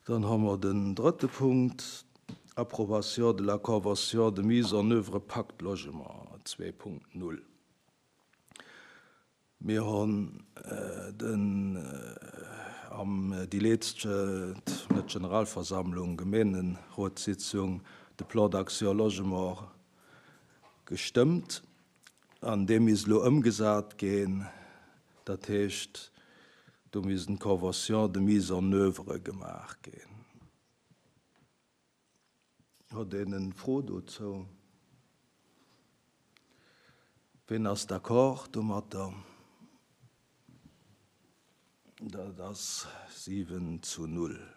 Dann hu mer den drëtte Punkt, Approbation de la convention de mise en oeuvre Pacte Logement 2.0. Mir hunn den am déi letzte, net Generalversammlung, Gemeenerotssitzung de Plan d'action logement gestëmmt an dee misst elo ëmgesat ginn. Dat heescht, do missten d'Conventions de mise en oeuvre gemaach ginn. Huet een en Fro dozou? Ween ass d'accord domatter? Dat ass 7 zu 0.